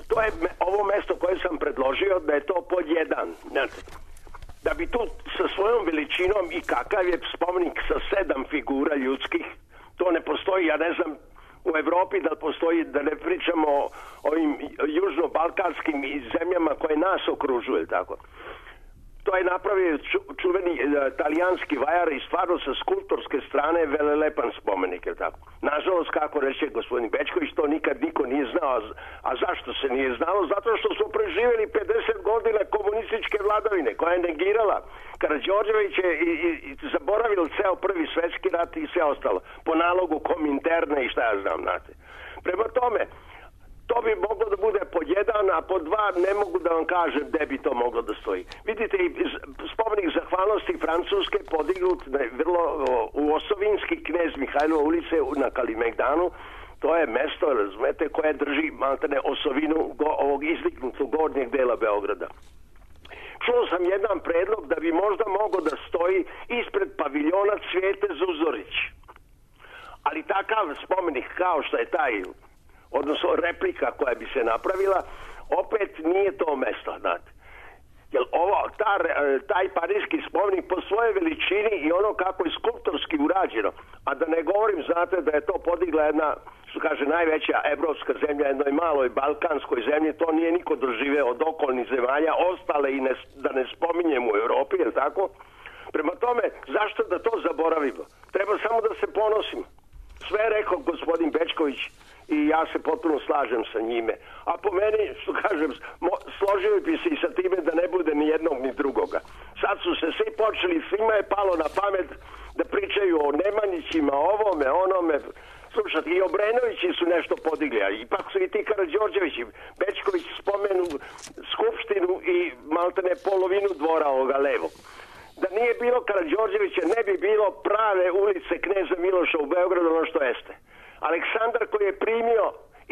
to je ovo mesto koje sam predložio, da je to pod jedan. Znate, da bi tu sa svojom veličinom i kakav je spomenik sa sedam figura ljudskih, to ne postoji, ja ne znam, u Evropi da postoji, da ne pričamo o ovim južno-balkanskim zemljama koje nas okružuju, tako. To je napravio ču, čuveni e, talijanski vajar i stvarno sa skulptorske strane velelepan spomenik, je tako. Nažalost, kako reče gospodin Bečković, to nikad niko nije znao. A zašto se nije znalo? Zato što smo preživjeli pedeset godina komunističke vladavine koja je negirala Karađorđević je i, i, i zaboravil ceo prvi svetski rat i sve ostalo. Po nalogu Kominterne i šta ja znam, znate. Prema tome, to bi moglo da bude pod jedan, a pod dva ne mogu da vam kažem gde bi to moglo da stoji. Vidite, spomenik zahvalnosti Francuske podignut vrlo u Osovinski knez Mihajlova ulice na Kalimegdanu. To je mesto, razumete, koje drži maltene osovinu go, ovog izdignutog gornjeg dela Beograda. Čuo sam jedan predlog da bi možda mogao da stoji ispred paviljona Cvijete Zuzorić. Ali takav spomenik kao što je taj, odnosno replika koja bi se napravila, opet nije to mesto, znate. Jer ovo, ta, taj parijski spomenik po svojoj veličini i ono kako je skulptorski urađeno, a da ne govorim, znate, da je to podigla jedna, što kaže, najveća evropska zemlja, jednoj maloj balkanskoj zemlji, to nije niko doživeo od okolnih zemalja, ostale i ne, da ne spominjem u Evropi, je tako? Prema tome, zašto da to zaboravimo? Treba samo da se ponosimo. Sve je rekao gospodin Bečković i ja se potpuno slažem sa njime. A po meni, što kažem, složio bi se i sa time da ne bude ni jednog ni drugoga. Sad su se svi počeli, svima je palo na pamet da pričaju o Nemanjićima, ovome, onome. Slušajte, i Obrenovići su nešto podigli, a ipak su i ti Karađorđevići. Bečković spomenu skupštinu i maltene polovinu dvora ovoga levog. Da nije bilo Karađorđevića, ne bi bilo prave ulice Kneza Miloša u Beogradu, ono što jeste. Aleksandar koji je primio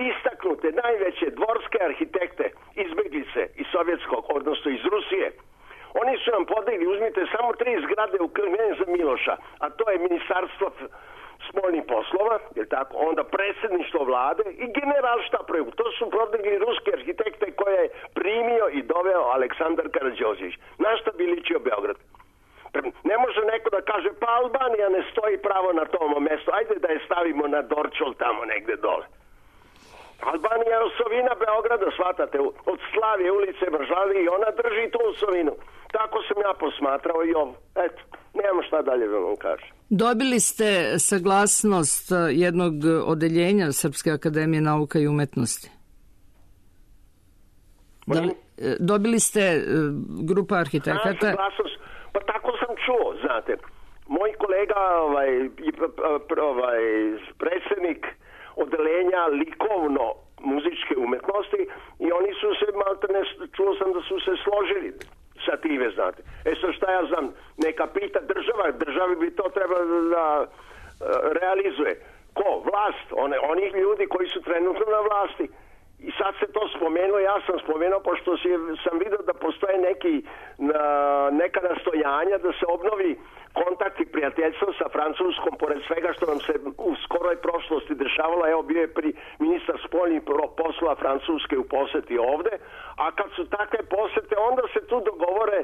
istaknute najveće dvorske arhitekte izbeglice iz sovjetskog, odnosno iz Rusije, oni su nam podigli, uzmite samo tri zgrade u Kneza Miloša, a to je Ministarstvo spoljnih poslova, je tako, onda predsjedništvo vlade i generalštapraju. To su podigli ruski arhitekte koje je primio i doveo Aleksandar Karađorđević. Na šta bi ličio Beograd? Ne može neko da kaže, pa Albanija ne stoji pravo na tom mjestu, ajde da je stavimo na Dorčol tamo negde dole. Albanija je osovina Beograda, shvatate, od Slavije ulice Mržavi i ona drži tu osovinu. Tako sam ja posmatrao i ovo. Eto, nemamo šta dalje da vam kažem. Dobili ste saglasnost jednog odeljenja Srpske akademije nauka i umetnosti? Da li, dobili ste grupa arhitekata? A, saglasnost. Pa tako sam čuo, znate. Moj kolega, ovaj, ovaj, predsjednik odelenja likovno muzičke umetnosti i oni su se, maltene, čuo sam da su se složili sa time, znate. E sad šta ja znam, neka pita država, državi bi to trebalo da uh, realizuje. Ko? Vlast. One, oni ljudi koji su trenutno na vlasti. I sad se to spomenuo, ja sam spomenuo, pošto si, sam vidio da postoje neki, na, neka nastojanja da se obnovi kontakt i prijateljstvo sa Francuskom, pored svega što nam se u skoroj prošlosti dešavalo. Evo, bio je pri ministar spoljnih poslova Francuske u poseti ovde, a kad su takve posete, onda se tu dogovore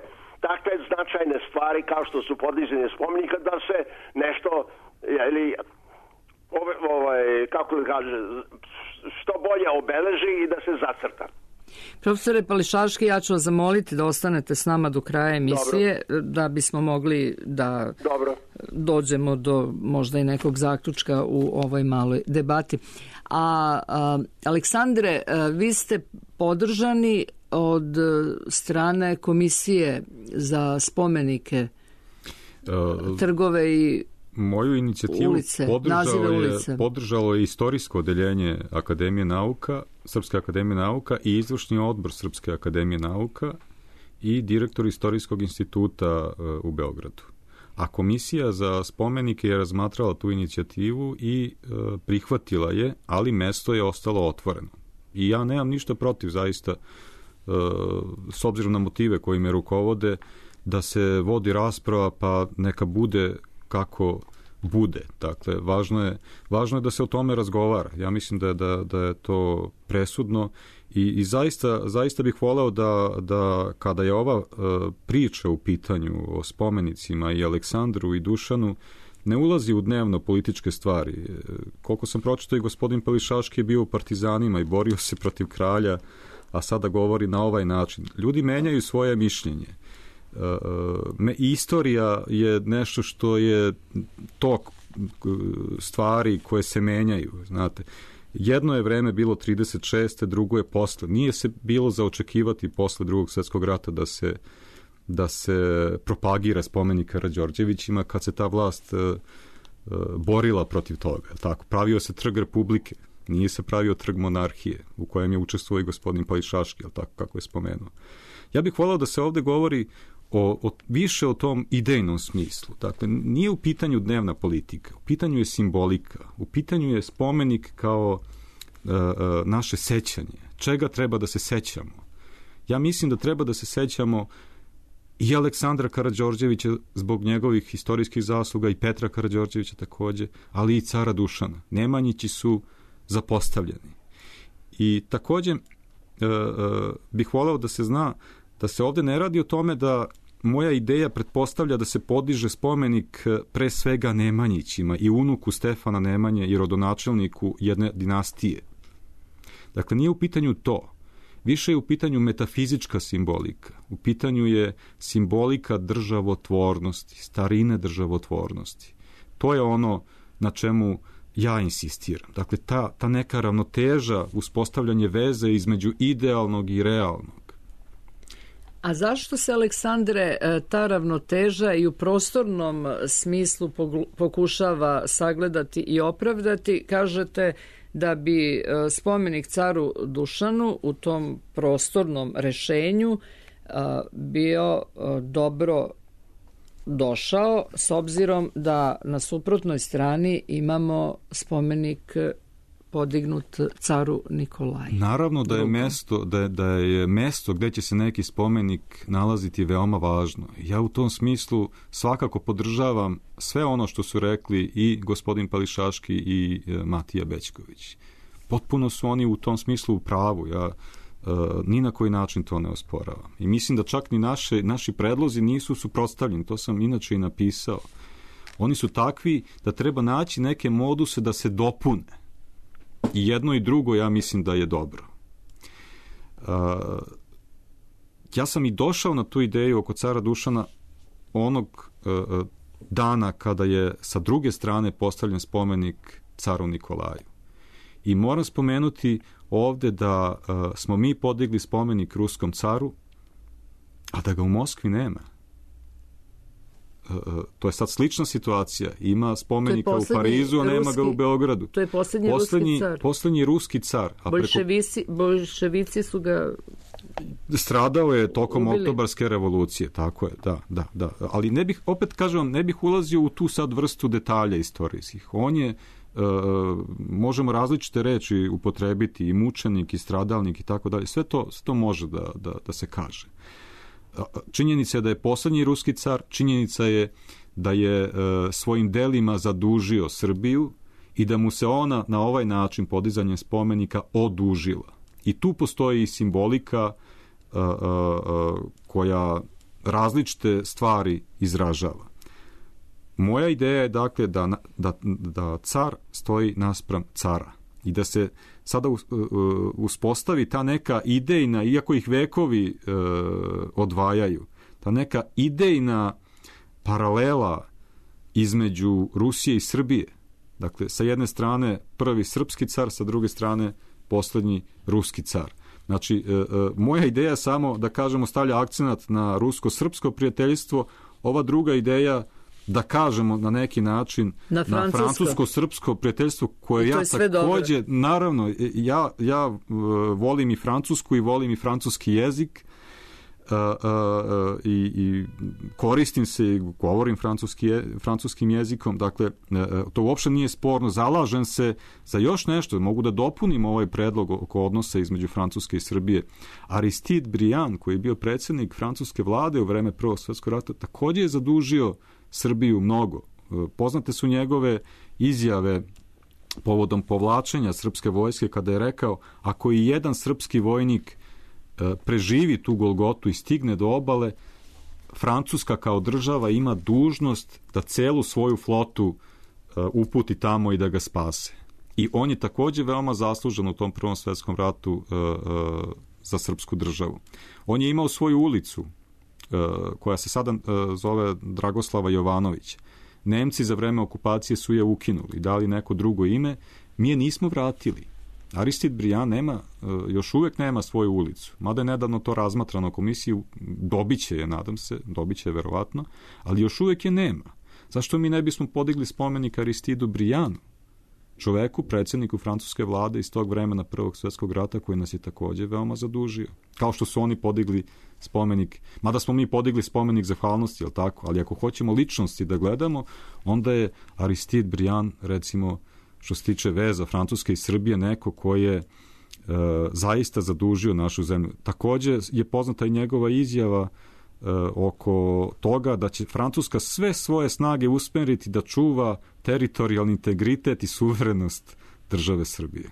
takve značajne stvari kao što su podizanje spomenika da se nešto ili ove, ovaj, kako da kaže, što bolje obeleži i da se zacrta. Profesore Pališaški, ja ću vas zamoliti da ostanete s nama do kraja emisije. Dobro. Da bismo mogli da Dobro. dođemo do možda i nekog zaključka u ovoj maloj debati. A, a Aleksandre, a, vi ste podržani od strane Komisije za spomenike, uh, trgove i moju inicijativu ulice, podržalo je, podržalo je istorijsko odeljenje Akademije nauka, Srpske akademije nauka i izvršni odbor Srpske akademije nauka i direktor Istorijskog instituta uh, u Beogradu. A Komisija za spomenike je razmatrala tu inicijativu i uh, prihvatila je, ali mesto je ostalo otvoreno. I ja nemam ništa protiv, zaista, uh, s obzirom na motive koji me rukovode, da se vodi rasprava, pa neka bude kako bude. Dakle, važno je, važno je da se o tome razgovara. Ja mislim da, da, da je to presudno i, i zaista, zaista bih voleo da, da kada je ova uh, priča u pitanju o spomenicima i Aleksandru i Dušanu, ne ulazi u dnevno političke stvari. Koliko sam pročitao, i gospodin Pališaški je bio u partizanima i borio se protiv kralja, a sada govori na ovaj način. Ljudi menjaju svoje mišljenje. Me, istorija je nešto što je tok stvari koje se menjaju, znate. Jedno je vreme bilo trideset šeste, drugo je posle. Nije se bilo za očekivati posle Drugog svjetskog rata da se, da se propagira spomenik Karađorđevićima kad se ta vlast uh, uh, borila protiv toga. Tako, pravio se trg Republike, nije se pravio trg monarhije u kojem je učestvovao i gospodin Pališaški, tako kako je spomenuo. Ja bih volao da se ovde govori O, o, više o tom idejnom smislu. Dakle, nije u pitanju dnevna politika, u pitanju je simbolika, u pitanju je spomenik kao uh, uh, naše sećanje. Čega treba da se sećamo? Ja mislim da treba da se sećamo i Aleksandra Karađorđevića zbog njegovih historijskih zasluga i Petra Karađorđevića takođe, ali i cara Dušana. Nemanjići su zapostavljeni. I takođe uh, uh, bih voleo da se zna da se ovde ne radi o tome da moja ideja pretpostavlja da se podiže spomenik pre svega Nemanjićima i unuku Stefana Nemanje i rodonačelniku jedne dinastije. Dakle, nije u pitanju to. Više je u pitanju metafizička simbolika. U pitanju je simbolika državotvornosti, starine državotvornosti. To je ono na čemu ja insistiram. Dakle, ta, ta neka ravnoteža, uspostavljanje veze između idealnog i realnog. A zašto se, Aleksandre, ta ravnoteža i u prostornom smislu pokušava sagledati i opravdati? Kažete da bi spomenik caru Dušanu u tom prostornom rešenju bio dobro došao, s obzirom da na suprotnoj strani imamo spomenik podignut caru Nikolaju. Naravno da je mesto da je, da je mesto gde će se neki spomenik nalaziti veoma važno. Ja u tom smislu svakako podržavam sve ono što su rekli i gospodin Pališaški i e, Matija Bećković. Potpuno su oni u tom smislu u pravu. Ja e, ni na koji način to ne osporavam. I mislim da čak ni naše, naši predlozi nisu suprotstavljeni. To sam inače i napisao. Oni su takvi da treba naći neke moduse da se dopune. I jedno i drugo ja mislim da je dobro. Uh, ja sam i došao na tu ideju oko cara Dušana onog uh, dana kada je sa druge strane postavljen spomenik caru Nikolaju. I moram spomenuti ovde da uh, smo mi podigli spomenik ruskom caru, a da ga u Moskvi nema. Uh, to je sad slična situacija. Ima spomenika u Parizu, a nema ruski, ga u Beogradu. To je poslednji, poslednji ruski car. Poslednji ruski car. A Bolševici, preko... Bolševici su ga stradao je tokom ubili. Oktobarske revolucije, tako je, da, da, da. Ali ne bih, opet kažem vam, ne bih ulazio u tu sad vrstu detalja istorijskih. On je, uh, možemo različite reči upotrebiti, i mučenik, i stradalnik, i tako dalje. Sve to, sve to može da, da, da se kaže. Činjenica je da je poslednji ruski car, činjenica je da je e, svojim delima zadužio Srbiju i da mu se ona na ovaj način podizanjem spomenika odužila. I tu postoji simbolika e, e, koja različite stvari izražava. Moja ideja je dakle da, da, da car stoji naspram cara i da se sada uspostavi ta neka idejna, iako ih vekovi e, odvajaju, ta neka idejna paralela između Rusije i Srbije. Dakle, sa jedne strane prvi srpski car, sa druge strane poslednji ruski car. Znači, e, e, moja ideja je samo da kažemo stavlja akcenat na rusko-srpsko prijateljstvo, ova druga ideja da kažemo na neki način na, na francusko-srpsko prijateljstvo koje ja takođe, dobro. Naravno, ja, ja uh, volim i francusku i volim i francuski jezik uh, uh, i, i koristim se i govorim francuski je, francuskim jezikom, dakle, uh, to uopšte nije sporno, zalažem se za još nešto, mogu da dopunim ovaj predlog oko odnosa između Francuske i Srbije. Aristide Briand, koji je bio predsjednik francuske vlade u vreme Prvog svjetskog rata, takođe je zadužio Srbiju mnogo. Poznate su njegove izjave povodom povlačenja srpske vojske kada je rekao ako i jedan srpski vojnik preživi tu Golgotu i stigne do obale, Francuska kao država ima dužnost da celu svoju flotu uputi tamo i da ga spase. I on je takođe veoma zaslužen u tom Prvom svjetskom ratu za srpsku državu. On je imao svoju ulicu koja se sada zove Dragoslava Jovanovića. Nemci za vreme okupacije su je ukinuli, dali neko drugo ime, mi je nismo vratili. Aristide Briand nema, još uvek nema svoju ulicu, mada je nedavno to razmatrano komisiju, dobiće je, nadam se, dobiće je verovatno, ali još uvek je nema. Zašto mi ne bismo podigli spomenik Aristidu Briandu, čoveku, predsjedniku francuske vlade iz tog vremena Prvog svjetskog rata koji nas je takođe veoma zadužio. Kao što su oni podigli spomenik, mada smo mi podigli spomenik zahvalnosti, jel tako? Ali ako hoćemo ličnosti da gledamo, onda je Aristide Briand, recimo, što se tiče veza Francuske i Srbije, neko koji je e, zaista zadužio našu zemlju. Takođe je poznata i njegova izjava e, oko toga da će Francuska sve svoje snage usmeriti da čuva teritorijalni integritet i suverenost države Srbije.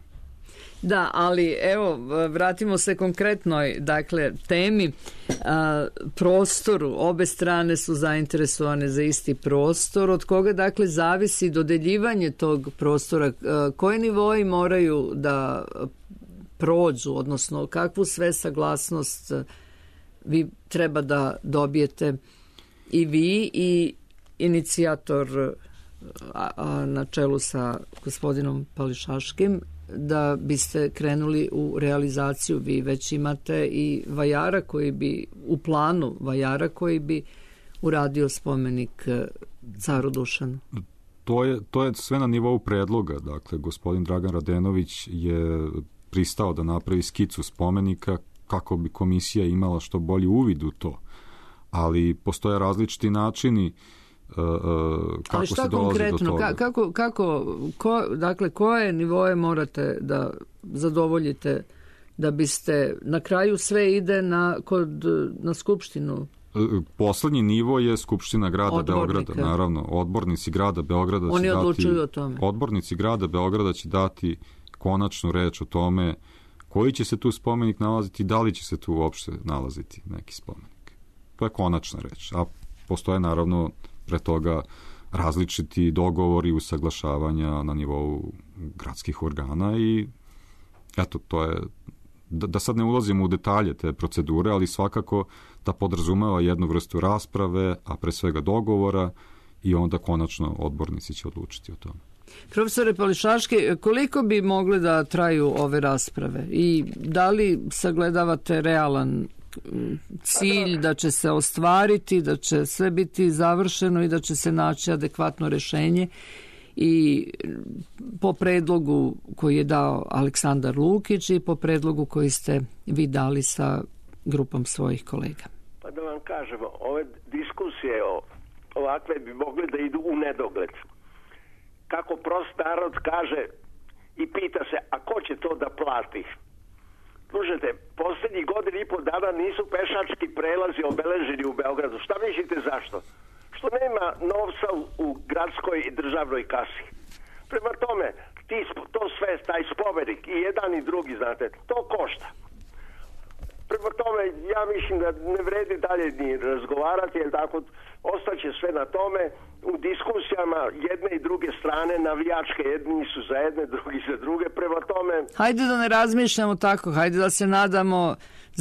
Da, ali evo, vratimo se konkretnoj, dakle, temi, a, prostoru. Obe strane su zainteresovane za isti prostor. Od koga, dakle, zavisi dodeljivanje tog prostora? A, koji nivoi moraju da prođu, odnosno kakvu sve saglasnost vi treba da dobijete i vi i inicijator a, a, na čelu sa gospodinom Pališaškim, da biste krenuli u realizaciju. Vi već imate i vajara koji bi, u planu vajara koji bi uradio spomenik caru Dušanu. To je, to je sve na nivou predloga. Dakle, gospodin Dragan Radenović je pristao da napravi skicu spomenika kako bi komisija imala što bolji uvid u to. Ali postoje različiti načini Uh, kako ali šta se dolazi konkretno, do toga. Kako, kako, ko, dakle, koje nivoje morate da zadovoljite da biste, na kraju sve ide na, kod, na skupštinu? Poslednji nivo je Skupština grada Odbornika. Beograda, naravno. Odbornici grada Beograda Oni će odlučuju dati, o tome. Odbornici grada Beograda će dati konačnu reč o tome koji će se tu spomenik nalaziti i da li će se tu uopšte nalaziti neki spomenik. To je konačna reč. A postoje naravno pre toga različiti dogovori, usaglašavanja na nivou gradskih organa i eto, to je, da, da sad ne ulazimo u detalje te procedure, ali svakako da podrazumeva jednu vrstu rasprave, a pre svega dogovora i onda konačno odbornici će odlučiti o tome. Profesore Pališaški, koliko bi mogle da traju ove rasprave i da li sagledavate realan cilj da će se ostvariti, da će sve biti završeno i da će se naći adekvatno rešenje i po predlogu koji je dao Aleksandar Lukić i po predlogu koji ste vi dali sa grupom svojih kolega? Pa da vam kažemo, ove diskusije ovakve bi mogle da idu u nedogled. Kako prost narod kaže i pita se, a ko će to da plati? Slušajte, posljednjih godina i po dana nisu pešački prelazi obeleženi u Beogradu. Šta mislite zašto? Što nema novca u, u gradskoj i državnoj kasi. Prema tome, ti, to sve, taj spomenik i jedan i drugi, znate, to košta. prema tome ja mislim da ne vredi dalje ni razgovarati, jer tako ostaće sve na tome u diskusijama jedne i druge strane, navijačke, jedni su za jedne, drugi za druge, prema tome... Hajde da ne razmišljamo tako, hajde da se nadamo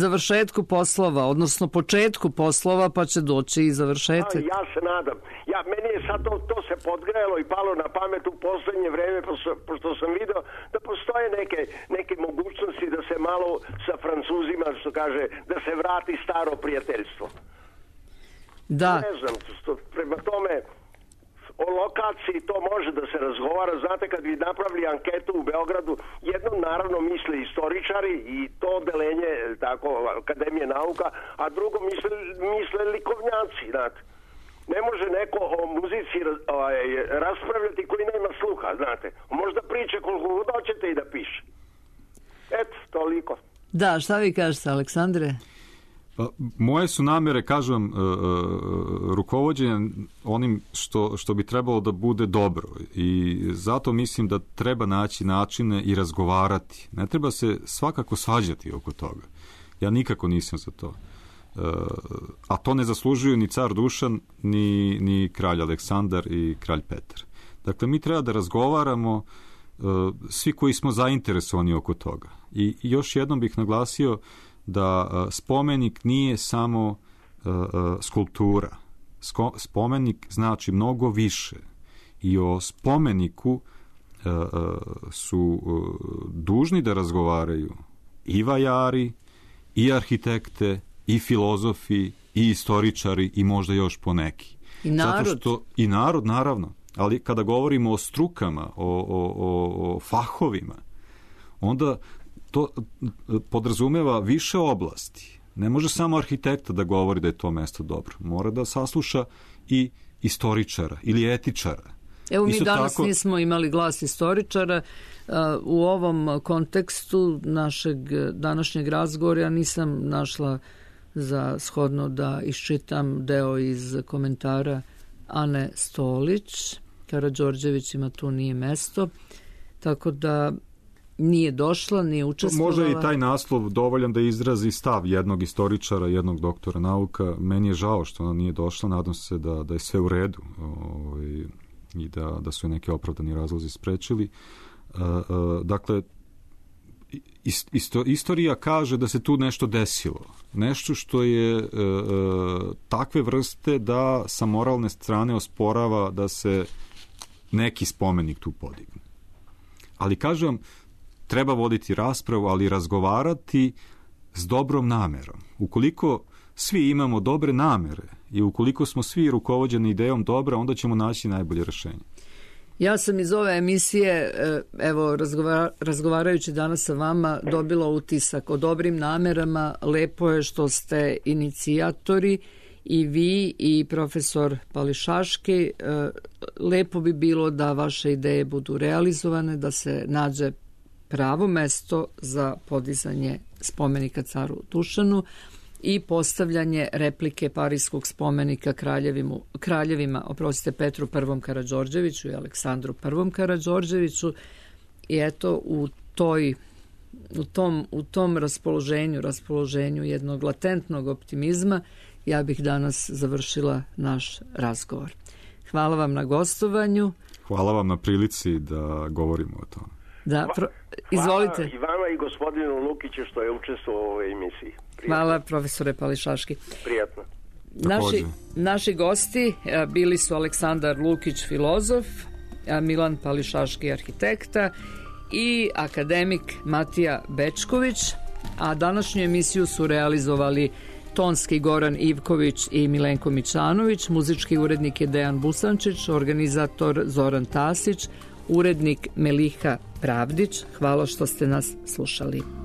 završetku poslova, odnosno početku poslova, pa će doći i završetak. Ja, ja se nadam. Ja, meni je sad to, to se podgrejalo i palo na pamet u poslednje vreme, pošto, pošto sam video da postoje neke, neke mogućnosti da se malo sa Francuzima, što kaže, da se vrati staro prijateljstvo. Da. Ne znam, što, prema tome... O lokaciji to može da se razgovara. Znate, kad bi napravili anketu u Beogradu, jedno naravno misle istoričari i to odelenje tako, Akademije nauka, a drugo misle, misle likovnjaci. Znate. Ne može neko o muzici ovaj, raspravljati koji nema sluha, znate. Možda priče koliko god hoćete i da piše. Eto, toliko. Da, šta vi kažete, Aleksandre? Pa, moje su namere, kažem, uh, uh, rukovođenja onim što, što bi trebalo da bude dobro i zato mislim da treba naći načine i razgovarati. Ne treba se svakako svađati oko toga. Ja nikako nisam za to. Uh, a to ne zaslužuju ni car Dušan, ni, ni kralj Aleksandar i kralj Petar. Dakle, mi treba da razgovaramo uh, svi koji smo zainteresovani oko toga. I, i još jednom bih naglasio da uh, spomenik nije samo uh, uh, skulptura. Sko- spomenik znači mnogo više. I o spomeniku uh, uh, su uh, dužni da razgovaraju i vajari, i arhitekte, i filozofi, i istoričari, i možda još poneki. I narod. Zato što, i narod, naravno. Ali kada govorimo o strukama, o, o, o, o fahovima, onda to podrazumeva više oblasti. Ne može samo arhitekta da govori da je to mesto dobro. Mora da sasluša i istoričara ili etičara. Evo mi Isto danas tako... nismo imali glas istoričara. U ovom kontekstu našeg današnjeg razgovora ja nisam našla za shodno da iščitam deo iz komentara Ane Stolić. Karađorđevićima tu nije mesto. Tako da nije došla, nije učestvovala. Možda i taj naslov dovoljan da izrazi stav jednog istoričara, jednog doktora nauka. Meni je žao što ona nije došla, nadam se da, da je sve u redu ovaj, i da, da su neki opravdani razlozi sprečili. Uh, uh, dakle, isto, istorija kaže da se tu nešto desilo. Nešto što je uh, uh, takve vrste da sa moralne strane osporava da se neki spomenik tu podigne. Ali kažem, treba voditi raspravu, ali razgovarati s dobrom namerom. Ukoliko svi imamo dobre namere i ukoliko smo svi rukovođeni idejom dobra, onda ćemo naći najbolje rešenje. Ja sam iz ove emisije, evo, razgovarajući danas sa vama, dobila utisak o dobrim namerama. Lepo je što ste inicijatori i vi i profesor Pališaški. Lepo bi bilo da vaše ideje budu realizovane, da se nađe pravo mesto za podizanje spomenika caru Dušanu i postavljanje replike Parijskog spomenika kraljevimu, kraljevima, oprostite, Petru prvom Karađorđeviću i Aleksandru prvom Karađorđeviću. I eto, u toj u tom, u tom raspoloženju, raspoloženju jednog latentnog optimizma, ja bih danas završila naš razgovor. Hvala vam na gostovanju. Hvala vam na prilici da govorimo o tome. Da, pro... izvolite. Hvala i vama i gospodinu Lukiću što je učestvovao u ovoj emisiji. Prijatno. Hvala, profesore Pališaški. Prijatno. Naši, naši gosti bili su Aleksandar Lukić, filozof, Milan Pališaški, arhitekta, i akademik Matija Bečković, a današnju emisiju su realizovali tonski Goran Ivković i Milenko Mićanović, muzički urednik je Dejan Busančić, organizator Zoran Tasić, urednik Meliha Pravdić. Hvala što ste nas slušali.